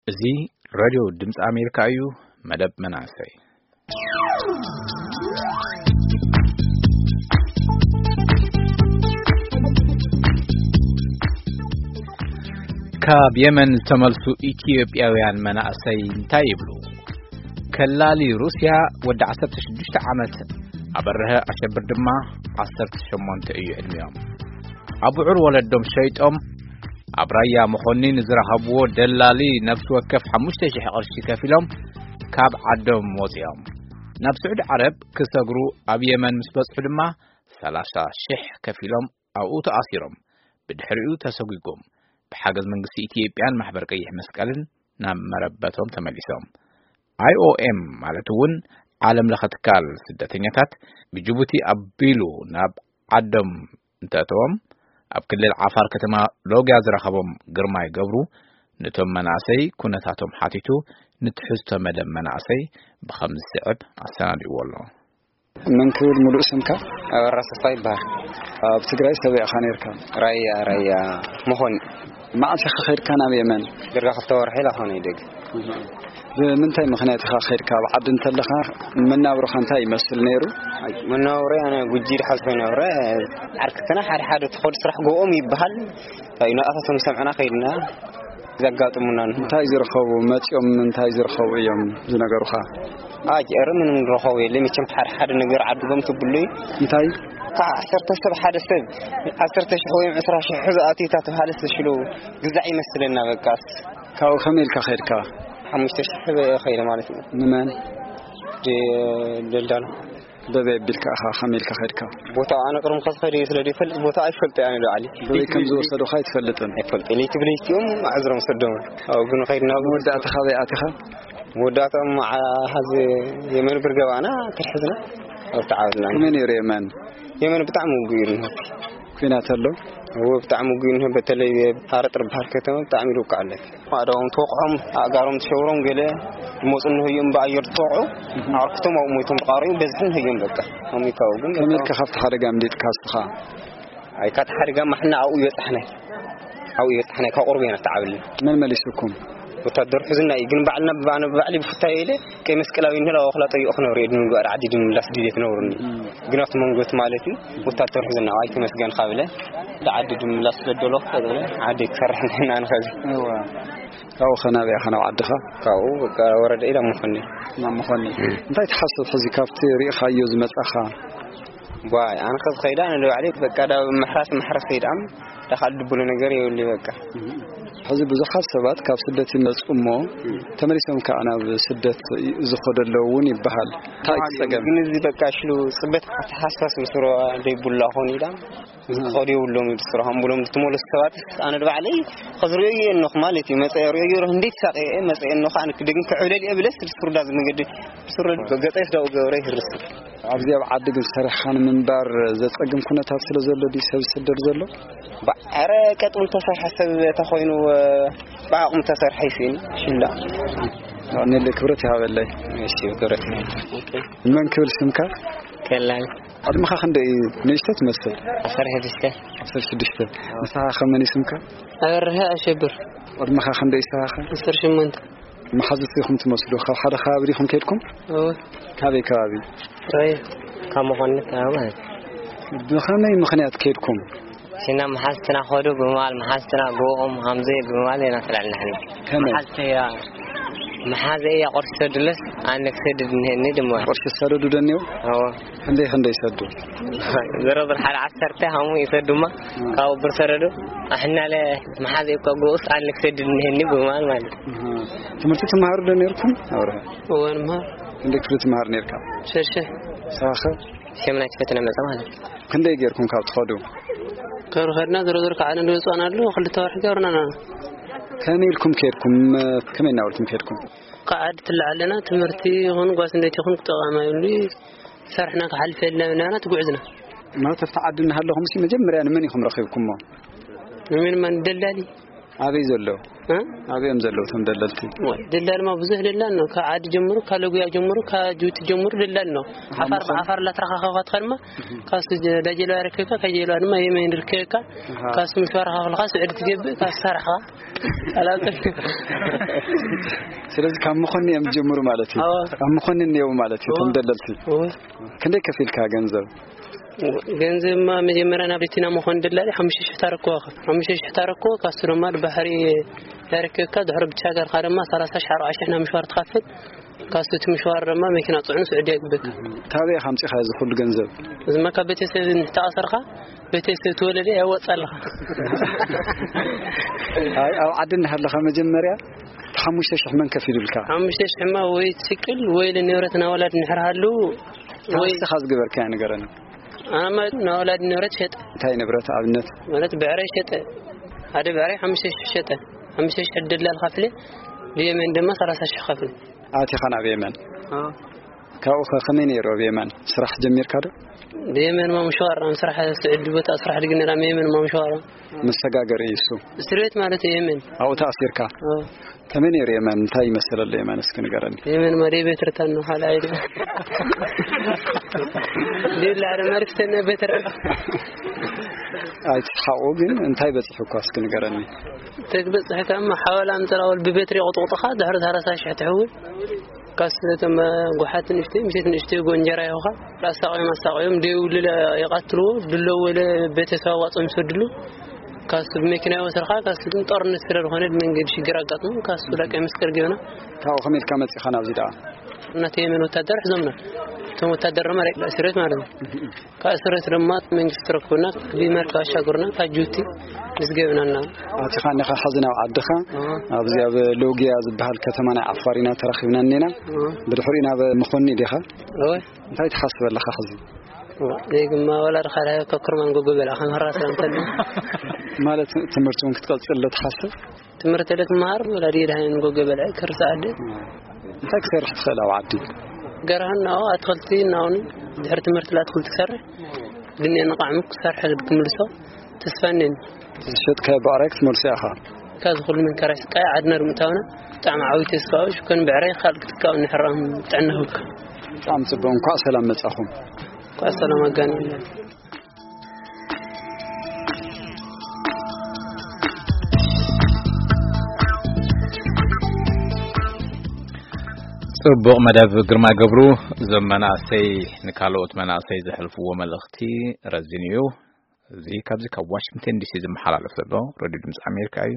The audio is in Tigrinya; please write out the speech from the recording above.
እዚ ሬድዮ ድምፂ ኣሜሪካ እዩ። መደብ መናእሰይ። ካብ የመን ዝተመልሱ ኢትዮጵያውያን መናእሰይ እንታይ ይብሉ? ከላሊ ሩስያ ወዲ ዓሰርተ ሽዱሽተ ዓመት፣ ኣበርሀ ኣሸብር ድማ ዓሰርተ ሸሞንተ እዩ ዕድሚኦም። ኣቡዑር ወለዶም ሸይጦም ኣብ ራያ መኾኒ ንዝረኸብዎ ደላሊ ነፍሲ ወከፍ ሓሙሽተ ሽሕ ቅርሺ ከፊሎም ካብ ዓዶም ወፂኦም። ናብ ስዑዲ ዓረብ ክሰግሩ ኣብ የመን ምስ በጽሑ ድማ ሰላሳ ሽሕ ከፊሎም ኣብኡ ተኣሲሮም። ብድሕሪኡ ተሰጒጎም ብሓገዝ መንግስቲ ኢትዮጵያን ማሕበር ቀይሕ መስቀልን ናብ መረበቶም ተመሊሶም። ኣይ ኦ ኤም ማለት እውን ዓለም ለኸ ትካል ስደተኛታት ብጅቡቲ ኣቢሉ ናብ ዓዶም እንተእተዎም፣ ኣብ ክልል ዓፋር ከተማ ሎጊያ ዝረኸቦም ግርማይ ገብሩ፣ ነቶም መናእሰይ ኩነታቶም ሓቲቱ፣ ንትሕዝቶ መደብ መናእሰይ ብኸም ዝስዕብ ኣሰናዲእዎ ኣሎ። መን ክብል ሙሉእ ስምካ? ኣበራ ሰፋ ይበሃል። ኣብ ትግራይ ሰበይ ኢኻ ነርካ? ራያ፣ ራያ መኾኒ። መዓስ ኢኻ ኸይድካ ናብ የመን? ድርጋ ክልተ ወርሒ ኢላ ኾነ ይደግ። ብምንታይ ምኽንያት ኢኻ ኸይድካ? ኣብ ዓዲ እንተለኻ መናብሮኻ እንታይ ይመስል ነይሩ? መናብሮይ ኣነ ጉጂ ድሓዝኮ ይነብረ። ዓርክትና ሓደ ሓደ ትኸዱ ስራሕ ጎኦም ይበሃል። እንታይ ናቕፋ ከም ሰምዕና ከይድና ዘጋጥሙና። እንታይ ዝረኸቡ መጺኦም፣ እንታይ ዝረኸቡ እዮም ዝነገሩኻ? ኣጅ፣ ኧረ ምንም ዝረኸቡ የለ። መቸም ሓደ ሓደ ነገር ዓድጎም ትብሉይ። እንታይ? ካብ ዓሰርተ ሰብ ሓደ ሰብ ዓሰርተ ሽሕ ወይም ዕስራ ሽሕ ዝኣትዩ እታ ተባሃለ ተሽሎ ግዛዕ ይመስለና በቃስ። ካብኡ ከመይ ኢልካ ኸድካ? ሓሙሽተ ሽሕ ከይደ ማለት እዩ። ንመን? ደ-፣ ደልዳሎ። በበይ ኣቢልካ ኢኻ፣ ከመይ ኢልካ ኸድካ? ቦታ ኣነ ቅድም ከዝኸደ ስለ ዘይፈልጥ ቦታ ኣይፈልጥ ኣነ ዶ ዓሊ። በበይ ከም ዝወሰዱኻ ኣይትፈልጥን? ኣይፈልጥ። ለይቲ ብለይቲኦም ኣዕዝሮም ሰዶም። ኣብኡ ግን ኸይድና መወዳእታ ካበይ ኣቲኻ? መወዳእታኦም ዓ-፣ ሓዚ የመን ብርገባና ተርሕዝና። ኣብቲ ዓብድና። ከመይ ነይሩ የመን? የመን ብጣዕሚ ውጉእ እዩ። ኩናት ኣሎ? እወ፣ ብጣዕሚ ውጉእ እዩ። በተለይ ሃረጥ ዝበሃል ከተማ ብጣዕሚ ይውቃዕ ኣሎ። ኣእዳዎም ተወቕዖም፣ ኣእጋሮም ተሸውሮም፣ ገለ ዝመፁ እንህዮም ብኣየር ዝተወቕዑ፣ ኣዕርክቶም ኣብኡ ሞይቶም ተቓሪቡ በዝሒ እንህዮም በቃ። ኣሜሪካ እውን ከመይ ኢልካ ካብቲ ሓደጋ ኣምሊጥካ እስኻ? ኣይ፣ ካብቲ ሓደጋ ማሕና ኣብኡ ይበጻሕናይ። ኣብኡ ይበጻሕናይ፣ ካብ ቁርብ ኢና ተዓብልና። መን መሊሱኩም? ወታደር ሑዝና እዩ፣ ግን ባዕልና ብባዕና ብባዕሊ ብፍታዮ ኢለ ቀይ መስቀላዊ እንህላ ወክላ ጠይቑ ክነብሩ እየ፣ ንምግባር ዓዲ ድምምላስ ድልየት ነብሩኒ። እም። ግን ኣብቲ መንጎት ማለት እዩ፣ ወታደር ሑዝና፣ ኣይ ተመስገን ካብለ፣ ዓዲ ድምምላስ ስለ ደሎ ክፈጥነ፣ ዓዲ ክሰርሕ ንሕና ንኸዚ። እዋ። ካብኡ ኸ ናበይ ኢኻ፣ ናብ ዓድኻ? ካብኡ በቃ ወረደ ኢላ መኾኒ። ናብ መኾኒ። እም። እንታይ ትሓስብ ሕዚ ካብቲ ርኢኻዮ ዝመጻኻ? ዋይ፣ ኣነ ከዚ ኸይዳ፣ ኣነ ንባዕለይ በቃ፣ ዳ ምሕራስ ምሕረስ ኸይዳ፣ ዳ ካልእ ድብሎ ነገር የብሉይ በቃ። ሕዚ ብዙሓት ሰባት ካብ ስደት ይመጹ እሞ፣ እም። ተመሊሶም ከኣ ናብ ስደት ዝኸዱ ኣለዉ እውን ይበሃል። እንታይ እዩ እቲ ጸገም? ግን እዚ በቃ ሽሉ ጽበት ኣተሓሳስ ምስሮ ዘይብሉ ኣኾን ኢላ፣ እዚ እም። ክኸዱ የብሎም እዩ ስራሖም ብሎም ዝተመለሱ ሰባት፣ ኣነ ንባዕለይ ከዚ ርእዮ እየ እነኹ ማለት እዩ። መጸ ርእዮ እየ፣ እንዴት ሳቀ እየ፣ መጸ እየ እነኹ፣ ኣነ ክደግም ክዕብለል እየ ብለስ፣ ስሩዳ ዝመገዲ፣ ስሩ ገጸ ስዳው ገብረ ይህርስ። ኣብዚ ኣብ ዓዲ ግን ሰሪሕኻ ንምንባር ዘጸግም ኩነታት ስለ ዘሎ ድዩ ሰብ ዝስደድ ዘሎ? ባ-፣ ኧረ ቀጥሉ ተሰርሐ ሰብ ተኾይኑ፣ ብዓቕሙ ተሰርሐ ይስእን። ሽላ። ንለ ክብረት ይሃበለይ። እሺ፣ ክብረት። መን ክብል ስምካ? ከላይ። ዕድመኻ ክንደይ እዩ? ንእሽቶ ትመስል። ዓሰርተ ሽዱሽተ። ዓሰርተ ሽዱሽተ። ንስኻ ከ መን እዩ ስምካ? ኣብርሀ ኣሸብር። ዕድመኻ ክንደይ እዩ ንስኻ ከ? ዓሰርተ ሸሞንተ። መሓዙት ኢኹም ትመስሉ። ካብ ሓደ ከባቢ ዲኹም ከይድኩም? እወ። ካበይ ከባቢ? ራያ። ካብ መኾኒ ከባቢ ማለት እዩ። ብኸመይ ምኽንያት ከይድኩም? ሲና መሓዝትና ኸዱ ብምባል፣ መሓዝትና ጎኦም ሃምዘ ብምባል ኢና ተላዕልና ሕና። ከመይ? መሓዝተያ፣ መሓዘያ ቁርሲ ሰዱለስ ኣነ ክሰድድ እንሄኒ ድማ። ቁርሲ ሰደዱ ደኔው? እወ። ክንደይ ክንደይ ሰዱ? ዝረዝር ሓደ ዓሰርተ ሃሙ ይሰዱማ። እም። ካብኡ ብር ሰደዱ። ኣሕናለ መሓዘ እኮ ጎኡስ ኣነ ክሰድድ እንሄኒ ብምባል ማለት እዩ። እም። ትምህርቲ ትመሃሩ ዶ ነርኩም? ኣብርሃ። እወ፣ ንመሃር። ክንደይ ክፍሊ ትመሃር ነርካ? ሸድሻይ። ንስኻ ኸ? ሸምናይ ክፍሊ መጸ ማለት እዩ። ክንደይ ጌርኩም ካብ ትኸዱ? ካብ ኸድና ዞሮ ዞሮ ከዓ ንወፅኣና ኣሎ፣ ክልተ ወርሒ ገብርና ኣለና። ከመይ ኢልኩም ከድኩም? ከመይ እናበልኩም ከድኩም? ካብ ዓዲ ትለዓለና ትምህርቲ ይኹን ጓስ እንደት ይኹን ክጠቐማ ይብሉ ሰርሕና ክሓልፍ የልና ብናና ትጉዕዝና። ማለት ኣብቲ ዓዲ እናሃለኹም ሲ መጀመርያ ንመን ኢኹም ረኺብኩሞ? ንመን ማን ደላሊ? ኣበይ ዘለዉ? እ? ኣበይ እዮም ዘለዉ እቶም ደለልቲ? ወይ፣ ደላል ድማ ብዙሕ ደላል ነው። ካብ ዓዲ ጀምሩ፣ ካብ ለጉያ ጀምሩ፣ ካብ ጅቡቲ ጀምሩ ደላል ነው። ዓፋር ብዓፋር እናተረኻኸብካ ትኸድማ፣ ካብሱ ጀ-፣ ዳጀለዋ ይርከብካ፣ ካብ ጀለዋ ድማ የመን ይርከብካ፣ ኣሃ። ካብሱ ምሽዋር ከፍልካ ስዑዲ ትገብእ፣ ካብ ሰራሕኻ። ኣላውቅም። ስለዚ ካብ መኾኒ እዮም ዝጀምሩ ማለት እዩ። ኣዎ። ኣብ መኾኒ እኒአው ማለት እዩ፣ እቶም ኣዎ። ደለልቲ። ኣዎ። ክንደይ ከፊልካ ገንዘብ? ገንዘብማ መጀመርያ ናብ ሪቲና መኾኒ ደላሊ ሓሙሽተ ሽሕ ታረክቦ። ሓሙሽተ ሽሕ ታረክቦ፣ ካሱ ድማ ባሕሪ ያረክብካ፣ ድሕሪ ብቻ ገርካ ድማ ሰላሳ ሽሕ ኣርባዓ ሽሕ ናብ ምሽዋር ትኸፍል። ካሱ እቲ ምሽዋር ድማ መኪና ጽዕኑ ስዑዲ የግብካ። ታበይ ኢኻ ኣምጺኻ እዚ ኩሉ ገንዘብ? እዚማ ካብ ቤተሰብ እንተኣሰርካ፣ ቤተሰብ ትወለደ ያወጻልኻ። ኣይ፣ ኣብ ዓዲ እናሃለኻ መጀመርያ ሓሙሽተ ሽሕ መን ከፊሉልካ? ሓሙሽተ ሽሕ ማ ወይ ትስቅል ወይ ንብረት ናወላድ ንሕር ሃሉ ወይ ታስኻ ዝገበርካያ ንገረኒ። ኣነ ማለት ናወላድ ንብረት ሸጠ። እንታይ ንብረት ኣብነት? ማለት ብዕራይ ሸጠ። ሓደ ብዕራይ ሓሙሽተ ሽሕ ሸጠ። ሓሙሽተ ሽሕ ደላል ከፍለ፣ ብየመን ድማ ሰላሳ ሽሕ ከፍለ። ኣቲኻ ናብ የመን? ኣዎ። ካብኡ ኸ ከመይ ነይሩ ኣብ የመን? ስራሕ ጀሚርካ ዶ? ብየመን ማምሸዋር፣ ኣብ ስራሕ ስዕዲ ቦታ ስራሕ ድግነላ የመን ማምሸዋር። መሰጋገሪ እዩ እሱ። እስር ቤት ማለት እዩ የመን። ኣብኡ ተኣሲርካ? ኣዎ። ከመይ ነይሩ የመን? እንታይ ይመስል ኣሎ የመን? እስኪ ንገረኒ። የመን ማለት ቤት ርታን ነው፣ ሓላ ኣይደ። ሌላ ኧረ መርክተና ቤት ርታ። ኣይትስሓቁ፣ ግን እንታይ በፂሑኳ እስኪ ንገረኒ። ተግበፅሕካማ ሓዋላ ምፅራወል ብቤትሪ ቁጥቁጥኻ ድሕሪ ሰላሳ ሽሕ ትሕውል። ካስ እቶም ጓሓት ንእሽተይ፣ ምሸት ንእሽተይ ጎ እንጀራ ይኹኻ። ኣሳቆዮም፣ ኣሳቆዮም፣ ደይብሉ ይቐትልዎ፣ ድሎ ወለ ቤተሰብ ኣዋፅኦም ይሰድሉ። ካሱ ብመኪና ይወስድኻ፣ ካሱ ግን ጦርነት ስለ ዝኾነ ብመንገዲ ሽግር ኣጋጥሙ፣ ካሱ ደቀ መስቀል ገና። ካብኡ ከመይ ኢልካ መጺኻ ናብዚ ደኣ? እናተ የመን ወታደር ሒዞምና። እቶም ወታደር ድማ ደቂ እስር ቤት ማለት ነው። ካብ እስር ቤት ድማ መንግስቲ ረክቡና፣ ብመርከብ ኣሻገሩና፣ ካብ ጅቡቲ ምስ ገብናና። ኣቲኻ እኒኻ ሕዚ ናብ ዓድኻ፣ ኣዎ። ኣብዚ ኣብ ሎጊያ ዝበሃል ከተማ ናይ ዓፋር ኢና ተራኺብና እኒና። ኣዎ። ብድሕሪኡ ናብ መኾኒ ዲኻ? ኣዎ። እንታይ ትሓስብ ኣለኻ ሕዚ? ዘይግማ ወላ ድኻ ዳሃ ካብ ክርማን ጎጎ በልዓ ከም ህራስ እንተሉ። ማለት ትምህርቲ እውን ክትቀጽል ዶ ትሓስብ? ትምህርቲ ለ ክመሃር ወላ ድየ ድሃ ንጎጎ በልዐ ክርሳዕ ኣደ። እንታይ ክሰርሕ ትኽእል ኣብ ዓዲ? ገርሃን ናው ኣትክልቲ ናውን ድሕሪ ትምህርቲ ላ ኣትክልቲ ክሰርሕ ግን ንቃዕሚ ክሰርሕ ክምልሶ ተስፋ እኔን። ዝሸጥካዮ ብዕራይ ክትመልሶ ኢኻ? ካብ ዝኹሉ መንከራይ ስቃይ ዓድና ንምእታውና ብጣዕሚ ዓብዪ ተስፋ እዩ። ሽኮን ብዕራይ ካልእ ክትካው ንሕራም ጥዕና ህብካ። ብጣዕሚ ጽቡቕ። እንኳዕ ሰላም መጻኹም። እንኳዕ ሰላም ኣጋንየና። ጽቡቕ መደብ ግርማ ገብሩ። እዞም መናእሰይ ንካልኦት መናእሰይ ዘሕልፍዎ መልእኽቲ ረዚን እዩ። እዚ ካብዚ ካብ ዋሽንግተን ዲሲ ዝመሓላለፍ ዘሎ ሬድዮ ድምፂ ኣሜሪካ እዩ።